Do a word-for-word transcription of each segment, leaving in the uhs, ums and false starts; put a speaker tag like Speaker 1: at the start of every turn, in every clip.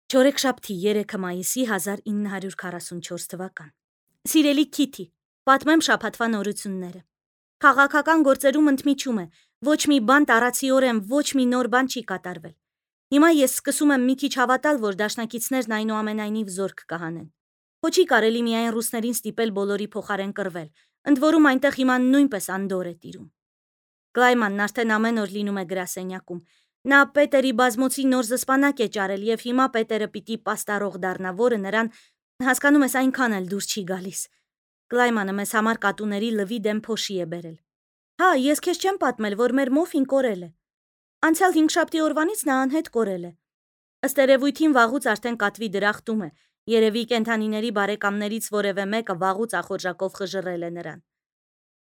Speaker 1: Չորեքշաբթի երեքը մայիսի հազար ինը հարյուր քառասունչորս թվական։ Սիրելի Քիթի, պատմեմ շաբաթվա նորությունները։ Քաղաքական գործերում ընդմիջում է, ոչ մի բան տարածիորեն ոչ մի նոր բան չի կատարվել։ Հիմա ես սկսում եմ մի քիչ հավատալ, որ դաշնակիցներն այնուամենայնիվ զորք կհանեն։ Ոչ չի կարելի միայն ռուսներին ստիպել բոլորի փոխարեն կռվել, ընդ որում այնտեղ հիմա նույնպես անդոր է տիրում։ Գլայմանն արդեն ամեն օր լինում է գրասենյակում։ Նա Պետերի բազմոցի նոր զսպանակ է ճարել եւ հիմա Պետերը պիտի պաստառող դառնա, որը նրան, հասկանում ես, այնքան էլ դուր չի գալիս։ Գլայմանը մեզ համար կատուների լվի դեմ փոշի է բերել։ Հա, ես քեզ չեմ պատմել, որ մեր մոֆին կորել է։ Անցյալ հինգշաբթի օրվանից նա անհետ կորել է։ Ըստ երևույթին վաղուց արդեն կատվի դրախտում է։ Երևի կենդանիների բարեկամներից որևէ մեկը վաղուց ախորժակով խժռել է նրան։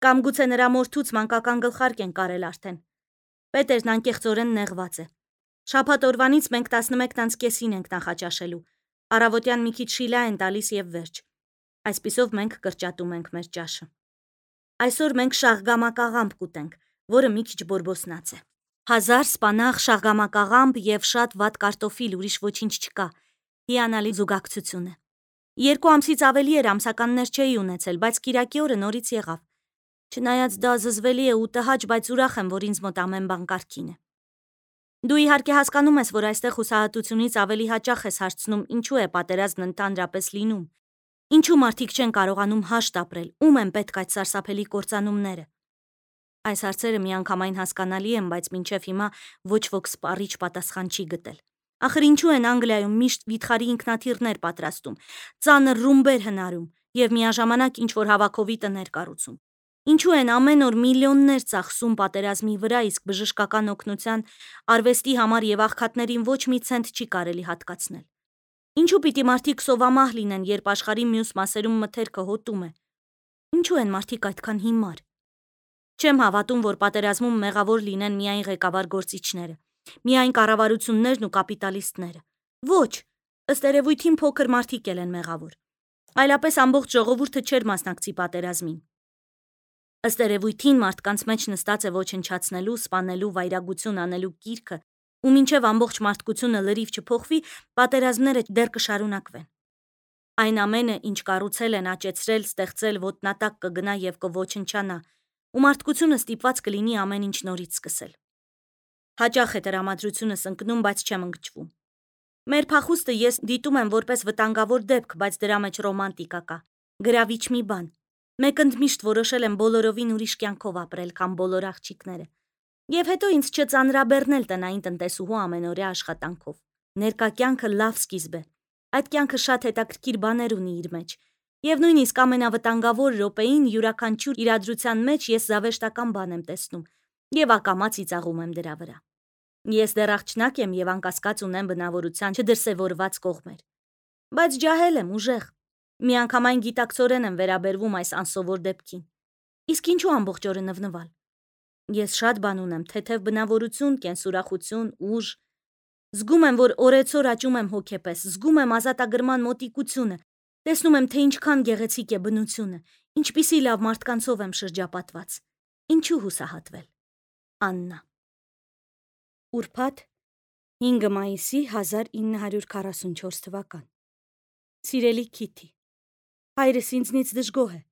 Speaker 1: Կամ գուցե նրա մորթուց մանկական գլխարկ են կարել արդեն։ Պետերն անկեղծորեն նեղված է։ Շաբաթ օրվանից մենք տասնմեկ տանց կեսին ենք նախաճաշելու։ Առավոտյան մի քիչ շիլա են տալիս եւ վերջ։ Այսպիսով մենք կրճատում ենք մեր ճաշը։ Այսօր մենք շաղգամակաղամբ կուտենք, որը մի քիչ բորբոսնած է։ Հազար սպանաղ շաղգամակաղամբ եւ շատ վատ կարտոֆիլ, ուրիշ ոչինչ չկա։ Հիանալի զուգակցություն է։ Երկու ամսից ավելի էր ամսականներ չէի ունեցել, բայց Կիրակի օրը նորից եղավ։ Չնայած դա զզվելի է ու տհաճ, բայց ուրախ եմ, որ ինձ մոտ ամեն բան կարգին է։ Դու իհարկե հասկանում ես, որ այստեղ հուսահատությունից ավելի հաճախ ես հարցնում, ինչու է պատերազմն ընդհանրապես լինում։ Ինչու մարդիկ չեն կարողանում հաշտ ապրել, ում են պետք այդ սարսափելի կործանումները։ Այս հարցերը միանգամայն հասկանալի են, բայց մինչև հիմա ոչ ոք սպառիչ պատասխան չի գտել։ Ախր ինչու են Անգլիայում միշտ վիթխարի ինքնաթիռներ պատրաստում, ծանր ռումբեր հնարում եւ միաժամանակ ինչ-որ հավաքովի տներ կառուցում։ Ինչու են ամեն օր միլիոններ ծախսում պատերազմի վրա, իսկ բժշկական օգնության, արվեստի համար եւ աղքատներին ոչ մի ցենտ չի կարելի հատկացնել։ Ինչու պիտի մարդիկ սովամահ լինեն, երբ աշխարհի մյուս մասերում մթերքը հոտում է։ Ինչու են մարդիկ այդքան հիմար։ Չեմ հավատում, որ պատերազմում մեղավոր լինեն միայն ղեկավար գործիչները, միայն կառավարություններն ու կապիտալիստները։ Ոչ, ըստ երևույթին փոքր մարդիկ էլ են մեղավոր։ Այլապես ամբողջ ժողովուրդը չէր մասնակցի պատերազմին։ Ըստ երևույթին մարդկանց մեջ նստած է ոչնչացնելու, սպանելու, վայրագություն անելու կիրքը, ու մինչև ամբողջ մարդկությունը լրիվ չփոխվի, պատերազմները դեռ կշարունակվեն։ Այն ամենը, ինչ կառուցել են, աճեցրել, ստեղծել, ոտնատակ կգնա եւ կոչնչանա, ու մարդկությունը ստիպված կլինի ամեն ինչ նորից սկսել։ Հաճախ է տրամադրությունս ընկնում, բայց չեմ ընկճվում։ Մեր փախուստը ես դիտում եմ որպես վտանգավոր դեպք, բայց դրա մեջ ռոմանտիկա կա, գրավիչ մի բան։ Մեկ ընդմիշտ որոշել եմ բոլորովին ուրիշ կյանքով ապրել, քան բոլոր աղջիկները։ Եվ հետո ինձ չծանրաբեռնել տնային տնտեսուհու ամենօրյա աշխատանքով։ Ներկա կյանքը լավ սկիզբ է։ Այդ կյանքը շատ հետաքրքիր բաներ ունի իր մեջ։ Եվ նույնիսկ ամենավտանգավոր րոպեին յուրաքանչյուր իրադրության մեջ ես զավեշտական բան եմ տեսնում եւ ակամա ծիծաղում եմ դրա վրա։ Ես դեռ աղջնակ եմ եւ անկասկած ունեմ բնավորության չդրսևորված կողմեր։ Բայց ջահել եմ, ուժեղ։ Միանգամայն գիտակցորեն եմ վերաբերվում այս անսովոր դեպքին։ Իսկ ինչու ամբողջ օրը նվնվալ։ Ես շատ բան ունեմ, թեթև բնավորություն, կենսուրախություն, ուժ։ Զգում եմ, որ օրեցօր աճում եմ հոգեպես, զգում եմ ազատագրման մոտիկությունը, տեսնում եմ, թե ինչքան գեղեցիկ է բնությունը, ինչպիսի լավ մարդկանցով եմ շրջապատված։ Ինչու հուսահատվել։ Աննա։ Ուրբաթ հինգ մայիսի հազար ինը հարյուր քառասունչորս թվական։ Սիրելի Քիթի, հայրս ինձնից դժգոհ է։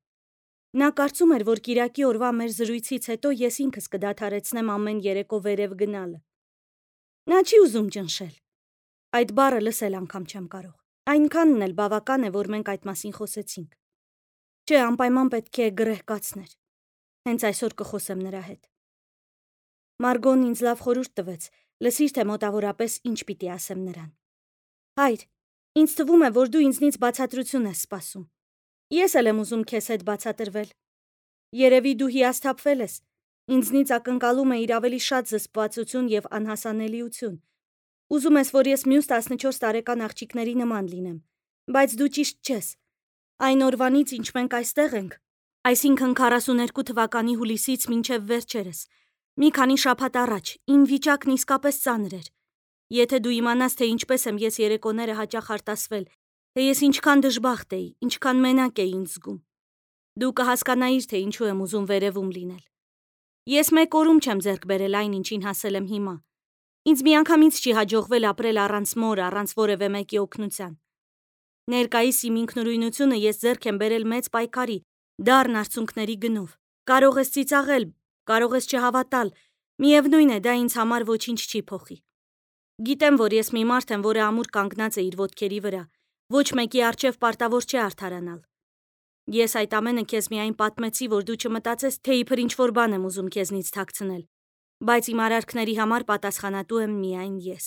Speaker 1: Նա կարծում էր, որ Կիրակի օրվա մեր զրույցից հետո ես ինքս կդադարեցնեմ ամեն երեկո վերև գնալը։ Նա չի ուզում ճնշել։ Այդ բառը լսել անգամ չեմ կարող։ Այնքանն էլ բավական է, որ մենք այդ մասին խոսեցինք։ Չէ, անպայման պետք է գրեհ կացներ։ Հենց այսօր կխոսեմ նրա հետ։ Մարգոն ինձ լավ խորհուրդ տվեց, լսիր, թե մոտավորապես ինչ պիտի ասեմ նրան։ Հայր, ինձ թվում է, որ դու ինձնից բացատրություն ես սպասում։ Ես էլ եմ ուզում քեզ հետ բացատրվել։ Երևի դու հիասթափվել ես։ Ինձնից ակնկալում է իր ավելի շատ զսպվածություն եւ անհասանելիություն։ Ուզում ես, որ ես մյուս տասնչորս տարեկան աղջիկների նման լինեմ, բայց դու ճիշտ չես։ Այն օրվանից, ինչ մենք այստեղ ենք, այսինքն քառասուներկու թվականի հուլիսից մինչև վերջերս, մի քանի շաբաթ առաջ, իմ վիճակն իսկապես ծանր էր։ Եթե դու իմանաս, թե ինչպես եմ ես երեկոները հաճախ արտասվել, թե ես ինչքան դժբախտ էի, ինչքան մենակ էի ինձ զգում։ Դու կհասկանայիր, թե ինչու եմ ուզում վերևում լինել։ Ես մեկ օրում չեմ ձեռք բերել այն, ինչին հասել եմ հիմա։ Ինձ միանգամից չի հաջողվել ապրել առանց մոր, առանց որևէ մեկի օգնության։ Ներկայիս իմ ինքնուրույնությունը ես ձեռք եմ բերել մեծ պայքարի, դառն արցունքների գնով։ Կարող ես ծիծաղել, կարող ես չհավատալ, միևնույն է, դա ինձ համար ոչինչ չի փոխի։ Գիտեմ, որ ես մի մարդ եմ, որը ամուր կանգնած է իր ոտքերի վրա, ոչ մեկի առջև պարտավոր չէ արդարանալ։ Ես այդ ամենը քեզ միայն պատմեցի, որ դու չմտածես, թե իբր ինչ-որ բան եմ ուզում քեզնից թաքցնել, բայց իմ արարքների համար պատասխանատու եմ միայն ես։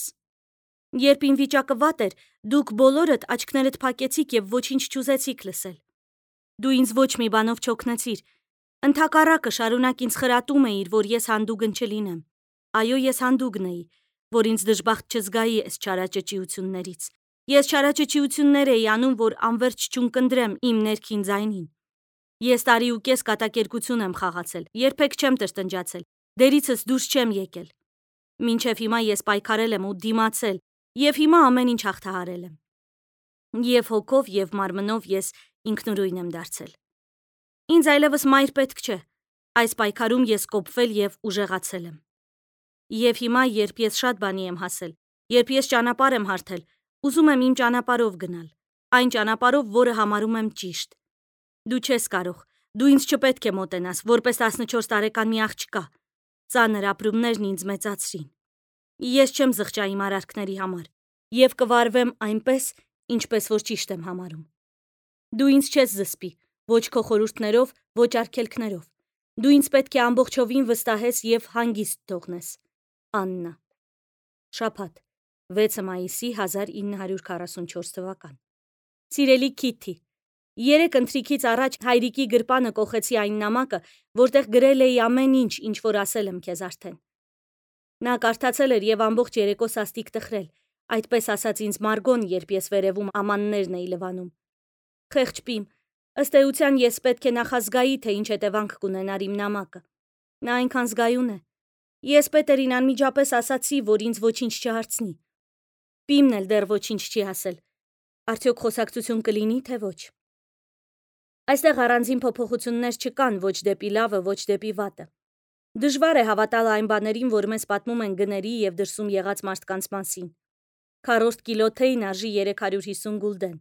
Speaker 1: Երբ իմ վիճակը վատ էր, դուք բոլորդ աչքներդ փակեցիք եւ ոչինչ չուզեցիք լսել։ Դու ինձ ոչ մի բանով չօգնեցիր։ Ընդհակառակը շարունակ ինձ խրատում էիր, որ ես հանդուգն չլինեմ։ Այո, ես հանդուգն էի, որ ինձ դժբախտ չզգայի այս չարաճճիություններից։ Ես չարաճճիություններ էի անում, որ անverջ չունկնդրեմ իմ ներքին ձայնին։ Ես տարի ու կես կատակերգություն եմ խաղացել, երբեք չեմ տրտնջացել, դերիցս դուրս չեմ եկել։ Մինչև հիմա ես պայքարել եմ ու դիմացել, եւ հիմա ամեն ինչ հաղթահարել եմ։ Եվ հոգով, եւ մարմնով ես ինքնուրույն եմ դարձել։ Ինձ այլևս մայր պետք չէ։ Այս պայքարում ես կոփվել եւ ուժեղացել եմ։ Եվ հիմա, երբ ես շատ բանի եմ հասել, երբ ես ճանապարհ եմ հարթել, ուզում եմ իմ ճանապարհով գնալ, այն ճանապարհով, որը համարում եմ ճիշտ։ Դու չես կարող, դու ինձ չպետք է մոտենաս, որպես տասնչորս տարեկան մի աղջկա։ Ծանր ապրումներն ինձ մեծացրին։ Ես չեմ զղջա իմ արարքների համար եւ կվարվեմ այնպես, ինչպես որ ճիշտ եմ համարում։ Դու ինձ չես զսպի, ոչ քո խորհուրդներով, ոչ արգելքներով։ Դու ինձ պետք է ամբողջովին վստահես եւ հանգիստ թողնես։ Աննա։ Շաբաթ, վեցը մայիսի հազար ինը հարյուր քառասունչորս թվական։ Սիրելի Քիթի, երեք ընթրիքից առաջ հայրիկի գրպանը կոխեցի այն նամակը, որտեղ գրել էի ամեն ինչ, ինչ որ ասել եմ քեզ արդեն։ Նա կարդացել էր եւ ամբողջ երեկո սաստիկ տխրել, այդպես ասաց ինձ Մարգոն, երբ ես վերևում ամաններն էի լվանում։ Խեղճ պիմ, ըստ էության ես պետք է նախազգայի, թե ինչ հետևանք կունենար իմ նամակը։ Նա այնքան զգայուն է։ Ես Պետերին անմիջապես ասացի, որ ինձ ոչինչ չհարցնի։ Պիմն էլ դեռ ոչինչ չի ասել։ Արդյոք խոսակցություն կլինի, թե ոչ։ Այստեղ առանձին փոփոխություններ չկան ոչ դեպի լավը, ոչ դեպի վատը։ Դժվար է հավատալ այն բաներին, որ մեզ պատմում են գների եւ դրսում եղած մարդկանց մասին։ Քառորդ կիլո թեյն արժի երեք հարյուր հիսուն գուլդեն,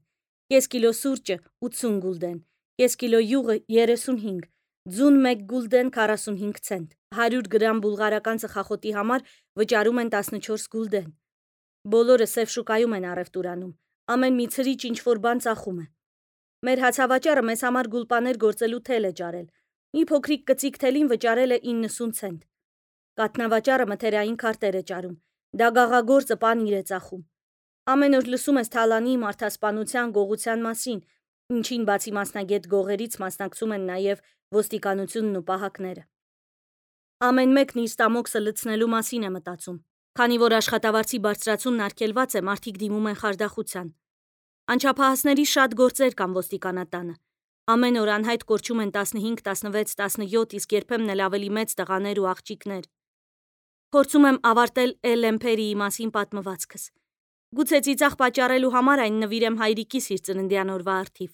Speaker 1: կես կիլո սուրճը ութսուն գուլդեն, կես կիլո յուղը երեսունհինգ, ձուն մեկ գուլդեն քառասունհինգ ցենտ, հարյուր գրամ բուլղարական ծխախոտի համար վճարում են տասնչորս գուլդեն։ Բոլորը սև շուկայում են առևտուր անում, ամեն մի ցրիչ ինչ-որ բան ծախում է։ Մեր հացավաճառը մեզ համար գուլպաներ գործելու թել է ջարել։ Մի փոքրիկ կծիկ թելին վճարել է իննսուն ցենտ։ Կաթնավաճառը մթերային քարտեր է ճարում, դագաղագործը պանիր է ծախում։ Ամեն օր լսում ես թալանի, մարդասպանության, գողության մասին, ինչին բացի մասնագետ գողերից մասնակցում են նաև ոստիկանությունն ու պահակները։ Ամեն մեկն իր ստամոքսը լցնելու մասին է մտածում, քանի որ աշխատավարձի բարձրացումն արգելված է, մարդիկ դիմում են խարդախության։ Անչափահասների շատ գործեր կան ոստիկանատանը։ Ամեն օր անհայտ կորչում են տասնհինգ, տասնվեց, տասնյոթ, իսկ երբեմն էլ ավելի մեծ տղաներ ու աղջիկներ։ Փորձում եմ ավարտել Էլեմփերիի մասին պատմվածքս։ Գուցե ծիծաղ պատճառելու համար այն նվիրեմ հայրիկիս իր ծննդյան օրվա առթիվ։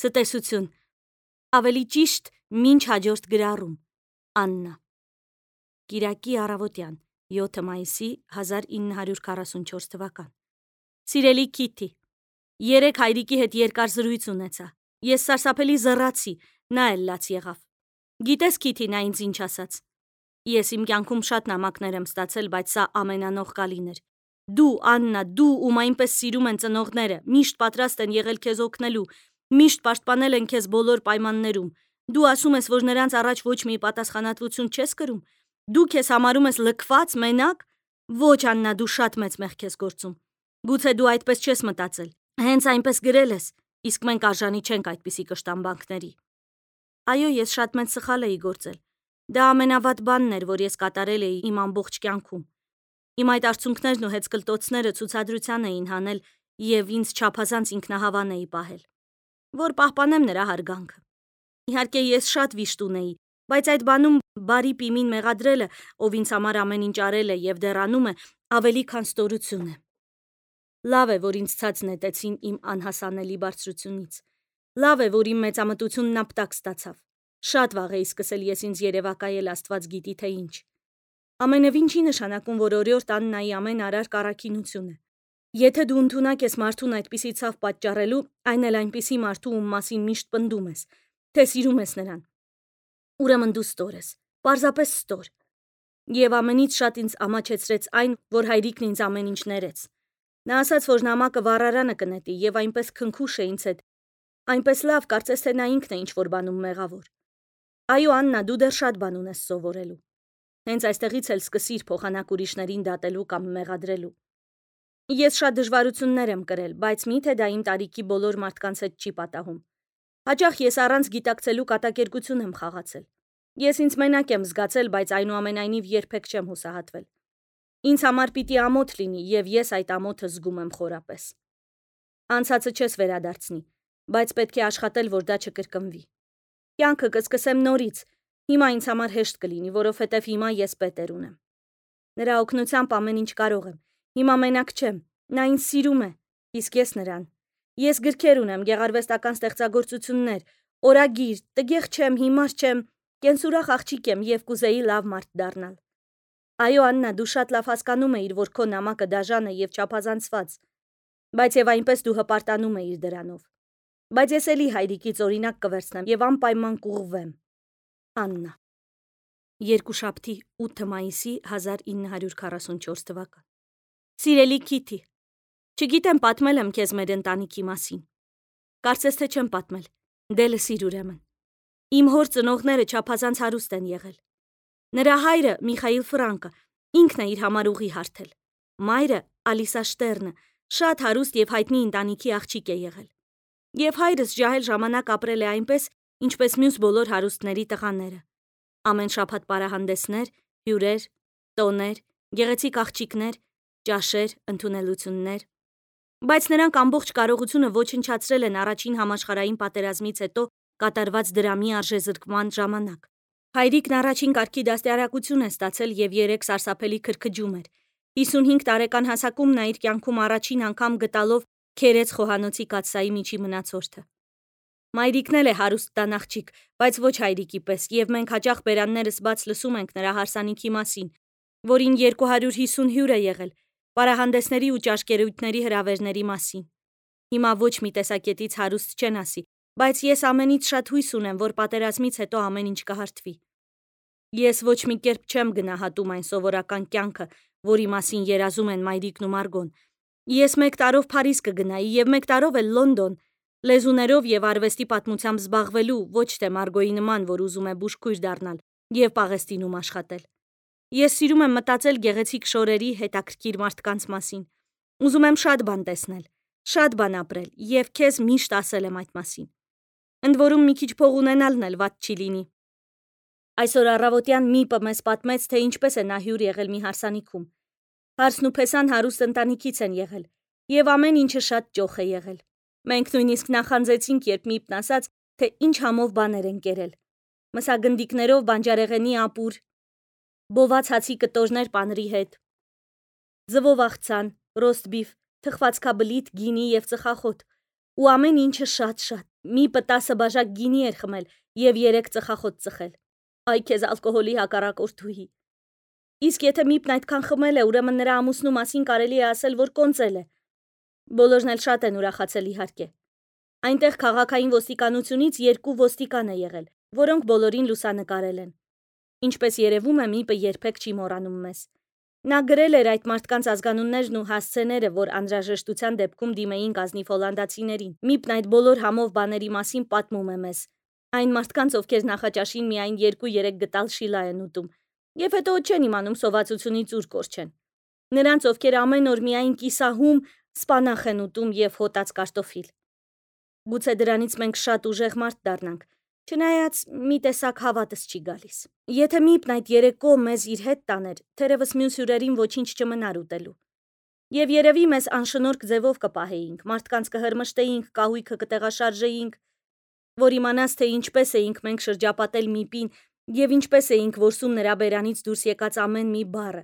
Speaker 1: Ցտեսություն։ Ավելի ճիշտ, մինչ հաջորդ գրառում։ Աննա։ Կիրակի առավոտյան, յոթ մայիսի հազար ինը հարյուր քառասունչորս թվական։ Սիրելի Քիթի, երեք հայրիկի հետ երկար զրույց ունեցա։ Ես սարսափելի զռացի, նա էլ լաց եղավ։ Գիտես Քիթի, նա ինձ ինչ ասաց։ Ես իմ կյանքում շատ նամակներ եմ ստացել, բայց սա ամենանողկալին էր։ Դու, Աննա, դու, ում այնպես սիրում են ծնողները, միշտ պատրաստ են եղել քեզ օգնելու, միշտ պաշտպանել են քեզ բոլոր պայմաններում։ Դու ասում ես, որ նրանց առաջ ոչ մի պատասխանատվություն չես կրում։ Դու քեզ համարում ես լքված, մենակ։ Ոչ, Աննա, դու շատ մեծ մեղք ես գործում։ Գուցե դու այդպես չես մտածել։ Հենց այնպես գրել ես, իսկ մենք արժանի չենք այդպիսի կշտամբանքների։ Այո, ես շատ մեծ սխալ էի գործել։ Դա ամենավատ բանն էր, որ ես կատարել էի իմ ամբողջ կյանքում։ Իմ այդ արցունքներն ու հեծկլտոցները ցուցադրության էին հանել եւ ինձ չափազանց ինքնահավան էի պահել, որ պահպանեմ նրա հարգանքը։ Իհարկե ես շատ վիշտ ունեի, բայց այդ բանում բարի Պիմին մեղադրելը, ով ինձ համար ամեն ինչ արել է եւ դեռ անում է, ավելի քան ստորություն է։ Լավ է, որ ինձ ցած նետեցին իմ անհասանելի բարձրությունից։ Լավ է, որ իմ մեծամտությունն ապտակ ստացավ։ Շատ վաղ էի սկսել ես ինձ երևակայել, Աստված գիտի թե ինչ։ Ամենևին չի նշանակում, որ օրիորդ Աննայի ամեն արար կառաքինություն է։ Եթե դու ընդունակ ես մարդուն այդպիսի ցավ պատճառելու, այն էլ այնպիսի մարդու, ում մասին միշտ պնդում ես, թե սիրում ես նրան, ուրեմն դու ստոր ես, պարզապես ստոր։ Եվ ամենից շատ ինձ ամաչեցրեց այն, որ հայրիկն ինձ ամեն ինչ ներեց։ Նա ասաց, որ նամակը վառարանը կնետի, եւ այնպես քնքուշ է ինձ հետ, այնպես լավ, կարծես թե նա ինքն է ինչ-որ բանում մեղավոր։ Այո, Աննա, դու դեռ շատ բան ունես սովորելու։ Հենց այստեղից էլ սկսիր փոխանակ ուրիշներին դատելու կամ մեղադրելու։ Ես շատ դժվարություններ եմ կրել, բայց միթե դա իմ տարիքի բոլոր մարդկանց հետ չի պատահում։ Հաճախ ես առանց գիտակցելու կատակերգություն եմ խաղացել։ Ես ինձ մենակ եմ զգացել, բայց այնուամենայնիվ երբեք չեմ հուսահատվել։ Ինձ համար պիտի ամոթ լինի, եւ ես այդ ամոթը զգում եմ խորապես։ Անցածը չես վերադարձնի, բայց պետք է աշխատել, որ դա չկրկնվի։ Կյանքը կսկսեմ նորից։ Հիմա ինձ համար հեշտ կլինի, որովհետև հիմա ես պետեր ունեմ։ Նրա օգնությամբ ամեն ինչ կարող եմ։ Հիմա մենակ չեմ, նա ինձ սիրում է, իսկ ես նրան։ Ես գրքեր ունեմ, գեղարվեստական ստեղծագործություններ, օրագիր, տգեղ չեմ, հիմար չեմ, կենսուրախ աղջիկ եմ եւ կուզեի լավ մարդ դառնալ։ Այո, Աննա, դու շատ լավ հասկանում էիր, որ քո նամակը դաժան է եւ չափազանցված, բայց եւ այնպես դու հպարտանում էիր դրանով։ Բայց ես էլի հայրիկից օրինակ կվերցնեմ եւ անպայման կուղղվեմ։ Աննա։ Երկուշաբթի ութ մայիսի հազար ինը հարյուր քառասունչորս թվական։ Սիրելի Քիթի, չգիտեմ պատմել եմ քեզ մեր ընտանիքի մասին։ Կարծես թե չեմ պատմել, դե լսիր ուրեմն։ Իմ հոր ծնողները չափազանց հարուստ են եղել։ Նրա հայրը Միխայիլ Ֆրանկը ինքն է իր համար ուղի հարթել։ Մայրը Ալիսա Շտերնը շատ հարուստ եւ հայտնի ընտանիքի աղջիկ է եղել։ Եվ հայրս ջահել ժամանակ ապրել է այնպես, ինչպես մյուս բոլոր հարուստների տղաները։ Ամեն շաբաթ պարահանդեսներ, հյուրեր, տոներ, գեղեցիկ աղջիկներ, ճաշեր, ընդունելություններ։ Բայց նրանք ամբողջ կարողությունը ոչնչացրել են առաջին համաշխարհային պատերազմից հետո կատարված դրամի արժեզրկման ժամանակ։ Հայրիկն առաջին կարգի դաստիարակություն է ստացել եւ երեք սարսափելի քրքջում էր։ հիսունհինգ տարեկան հասակում նա իր կյանքում առաջին անգամ գտալով Քերեց խոհանոցի կաթսայի միջի մնացորդը։ Մայրիկն էլ է հարուստ տան աղջիկ, բայց ոչ հայրիկի պես, եւ մենք հաճախ բերաններս բաց լսում ենք նրա հարսանիքի մասին, որին երկու հարյուր հիսուն հյուր է եղել, պարահանդեսների ու ճաշկերույթների հրավերների մասին։ Հիմա ոչ մի տեսակետից հարուստ չեն ասի, բայց ես ամենից շատ հույս ունեմ, որ պատերազմից հետո ամեն ինչ կհարթվի։ Ես ոչ մի կերպ չեմ գնահատում այն սովորական կյանքը, որի մասին երազում են մայրիկն ու Մարգոն։ Ես մեկ տարով Փարիզ կգնայի եւ մեկ տարով էլ Լոնդոն, լեզուներով եւ արվեստի պատմությամբ զբաղվելու, ոչ թե Մարգոյի նման, որ ուզում է բուժքույր դառնալ եւ Պաղեստինում աշխատել։ Ես սիրում եմ մտածել գեղեցիկ շորերի, հետաքրքիր մարդկանց մասին։ Ուզում եմ շատ բան տեսնել, շատ բան ապրել եւ քեզ միշտ ասել եմ այդ մասին։ Ընդ որում մի քիչ փող ունենալն էլ վատ չի լինի։ Այսօր առավոտյան Միպը մեզ պատմեց, թե ինչպես է նա հյուր եղել մի հարսանիքում։ Հարսն ու Փեսան հարուստ ընտանիքից են եղել, եւ ամեն ինչը շատ ճոխ է եղել։ Մենք նույնիսկ նախանձեցինք, երբ Միպն ասաց, թե ինչ համով բաներ են կերել։ Մսագնդիկներով բանջարեղենի ապուր, բոված հացի կտորներ պանրի հետ, ձվով աղցան, ռոստբիֆ, թխվածքաբլիթ, գինի եւ ծխախոտ, ու ամեն ինչը շատ-շատ։ Միպը տասը բաժակ գինի էր խմել եւ երեք ծխախոտ ծխել։ Այ քեզ ալկոհոլի հակառակորդուհի։ Իսկ եթե Միպն այդքան խմել է, ուրեմն նրա ամուսնու մասին կարելի է ասել, որ կոնծել է։ Բոլորն էլ շատ են ուրախացել իհարկե։ Այնտեղ քաղաքային ոստիկանությունից երկու ոստիկան է եղել, որոնք բոլորին լուսանկարել են։ Ինչպես երևում է, Միպը երբեք չի մոռանում մեզ։ Նա գրել էր այդ մարդկանց ազգանուններն ու հասցեները, որ անհրաժեշտության դեպքում դիմեին գազնիվ հոլանդացիներին։ Միպն այդ բոլոր համով բաների մասին պատմում է մեզ։ Այն մարդկանց, ովքեր նախաճաշին միայն երկու-երեք գտալ շիլա են ուտում, եւ հետո չեն իմանում սովածությունից ուր կորչեն։ Նրանց, ովքեր ամեն օր միայն կիսահում սպանախ են ուտում եւ հոտած կարտոֆիլ։ Գուցե դրանից մենք շատ ուժեղ մարդ դառնանք, չնայած մի տեսակ հավատս չի գալիս։ Եթե Միպն այդ երեկո մեզ իր հետ տաներ, թերևս մյուս հյուրերին ոչինչ չմնար ուտելու։ Եվ երևի մեզ անշնորհք ձևով կպահեինք, մարդկանց կհրմշտեինք, կահույքը կտեղաշարժեինք, որ իմանաս, թե ինչպես էինք մենք շրջապատել Միպին եւ ինչպես էինք որսում նրա բերանից դուրս եկած ամեն մի բառը։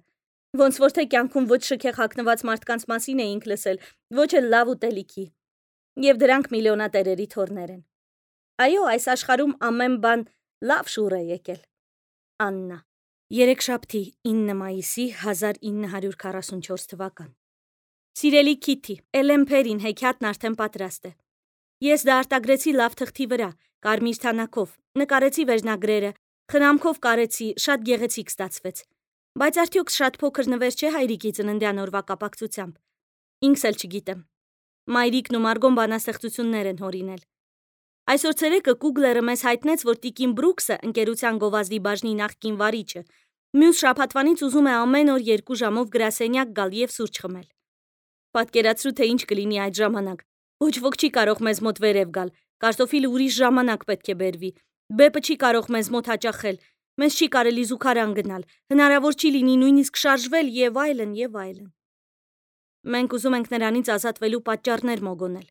Speaker 1: Ոնց որ թե կյանքում ոչ շքեղ հագնված մարդկանց մասին էինք լսել, ոչ էլ լավ ուտելիքի։ Եվ դրանք միլիոնատերերի թորներ են։ Այո, այս աշխարհում ամեն բան լավ շուռ է եկել։ Աննա։ Երեքշաբթի ինը մայիսի հազար ինը հարյուր քառասունչորս թվական։ Սիրելի Քիթի, Էլեմփերին հեքիաթն արդեն պատրաստ է։ Ես դա արտագրեցի լավ թղթի վրա, կարմիր թանաքով, նկարեցի վերջնագրերը, խնամքով կարեցի, շատ գեղեցիկ ստացվեց։ Բայց արդյոք շատ փոքր նվեր չէ հայրիկի ծննդյան օրվա կապակցությամբ։ Ինքս էլ չգիտեմ։ Մայրիկն ու Մարգոն բանաստեղծություններ են հորինել։ Այսօր ցերեկը Կուգլերը մեզ հայտնեց, որ Տիկին Բրուքսը, ընկերության գովազդի բաժնի նախկին վարիչը, մյուս շաբաթվանից ուզում է ամեն օր երկու ժամով գրասենյակ գալ եւ սուրճ խմել։ Պատկերացրու, թե ինչ կլինի այդ ժամանակ։ Ոչ ոք չի կարող մեզ մոտ վերև գալ, կարտոֆիլը ուրիշ ժամանակ պետք է բերվի, բեպը չի կարող մեզ մոտ հաճախել, մեզ չի կարելի զուգարան գնալ, հնարավոր չի լինի նույնիսկ շարժվել եւ այլն եւ այլն։ Մենք ուզում ենք նրանից ազատվելու պատճառներ մոգոնել։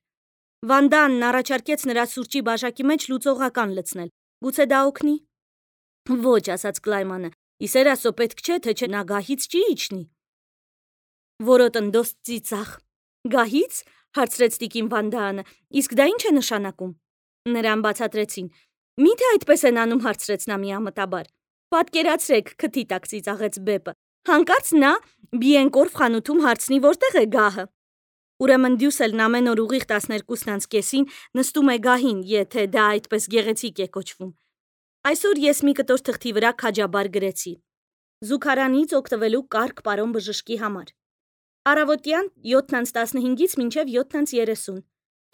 Speaker 1: Վանդանն առաջարկեց նրա սուրճի բաժակի մեջ լուծողական լցնել։ Գուցե դա օգնի։ Ոչ, ասաց Կլայմանը, իսեր ասո պետք չէ, թե չէ նա գահից չի իջնի։ Որոտնդոս ծիծաղ։ Գահից, հարցրեց Տիկին Վանդանը, իսկ դա ինչ է նշանակում։ Նրան բացատրեցին։ Միթե այդպես են անում, հարցրեց նա միամտաբար։ Պատկերացրեք, քթի տակ ծիծաղեց բեպը։ Հանկարծ նա Բիենկորֆ խանութում հարցնի, որտեղ է գահը։ Ուրեմն Դյուսելն ամեն օր ուղիղ տասներկուսն անց կեսին նստում է գահին, եթե դա այդպես գեղեցիկ է կոչվում։ Այսօր ես մի կտոր թղթի վրա քաջաբար գրեցի. Զուգարանից օգտվելու կարգ պարոն բժշկի համար։ Առավոտյան յոթն տասնհինգից մինչև յոթն երեսուն,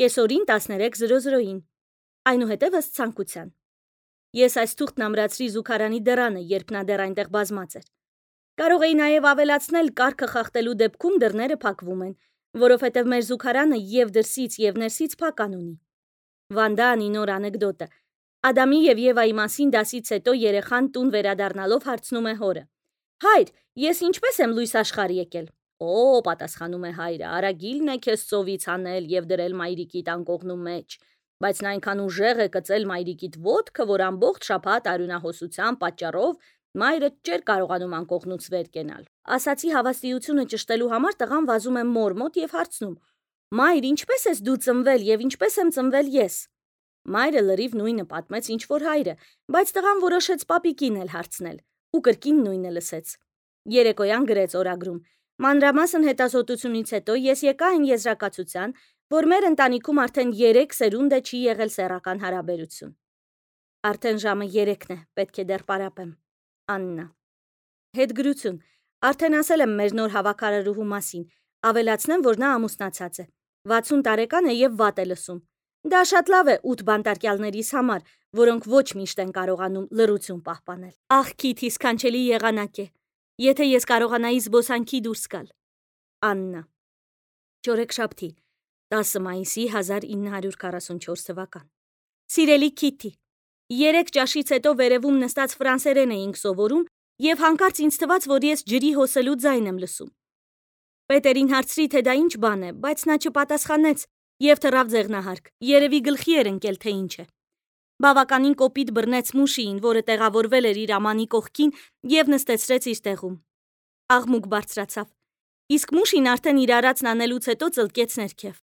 Speaker 1: կեսօրին տասներեք զրո զրոին, այնուհետև ըստ ցանկության։ Ես այս թուղթն ամրացրի զուգարանի դռանը, երբ նա դեռ այնտեղ բազմած էր։ Կարող էի նաև ավելացնել կարգը խախտելու դեպքում դռները փակվում են, որովհետև մեր զուգարանը եւ դրսից եւ ներսից փական ունի։ Վանդանի նոր անեկդոտը։ Ադամի եւ Եվայի մասին դասից հետո երեխան տուն վերադառնալով հարցնում է հորը. Հայր, ես ինչպես եմ լույս աշխարհ եկել։ Օ, պատասխանում է հայրը, արագիլն է քեզ ծովից հանել եւ դրել մայրիկիդ անկողնու մեջ, բայց նա այնքան ուժեղ է կծել մայրիկիդ ոտքը, որ ամբողջ շաբաթ արյունահոսության պատճառով մայրը չէր կարողանում անկողնուց վեր կենալ։ Ասացի հավաստիությունը ճշտելու համար տղան վազում է մոր մոտ եւ հարցնում. Մայր, ինչպես ես դու ծնվել եւ ինչպես եմ ծնվել ես։ Մայրը լրիվ նույնը պատմեց, ինչ որ հայրը, բայց տղան որոշեց պապիկին էլ հարցնել ու կրկին նույնը լսեց։ Երեկոյան գրեց օրագրում. Մանրամասն հետազոտությունից հետո ես եկա այն եզրակացության, որ մեր ընտանիքում արդեն երեք սերունդ է չի եղել սեռական հարաբերություն։ Արդեն ժամը երեքն է, պետք է դեռ պարապեմ։ Աննա։ Հետգրություն։ Արդեն ասել եմ մեր նոր հավաքարարուհու մասին, ավելացնեմ, որ նա ամուսնացած է։ վաթսուն տարեկան է եւ վատ է լսում։ Դա շատ լավ է ութ բանտարկյալներիս համար, որոնք ոչ միշտ են կարողանում լռություն պահպանել։ Ախ, Քիթի, սքանչելի եղանակ է։ Եթե ես կարողանայի զբոսանքի դուրս գալ։ Աննա։ Չորեքշաբթի, տասը մայիսի հազար ինը հարյուր քառասունչորս թվական։ Սիրելի Քիթի, երեք ճաշից հետո վերևում նստած ֆրանսերեն էինք սովորում եւ հանկարծ ինձ թվաց, որ ես ջրի հոսելու ձայն եմ լսում։ Պետերին հարցրի, թե դա ինչ բան է, բայց նա չպատասխանեց եւ թռավ ձեղնահարկ։ Երևի գլխի էր ընկել, թե ինչ է։ Բավականին կոպիտ բռնեց մուշիին, որը տեղավորվել էր իր ամանի կողքին եւ նստեցրեց իր տեղում։ Աղմուկ բարձրացավ։ Իսկ մուշին արդեն իր արածն անելուց հետո ծլկեց ներքև։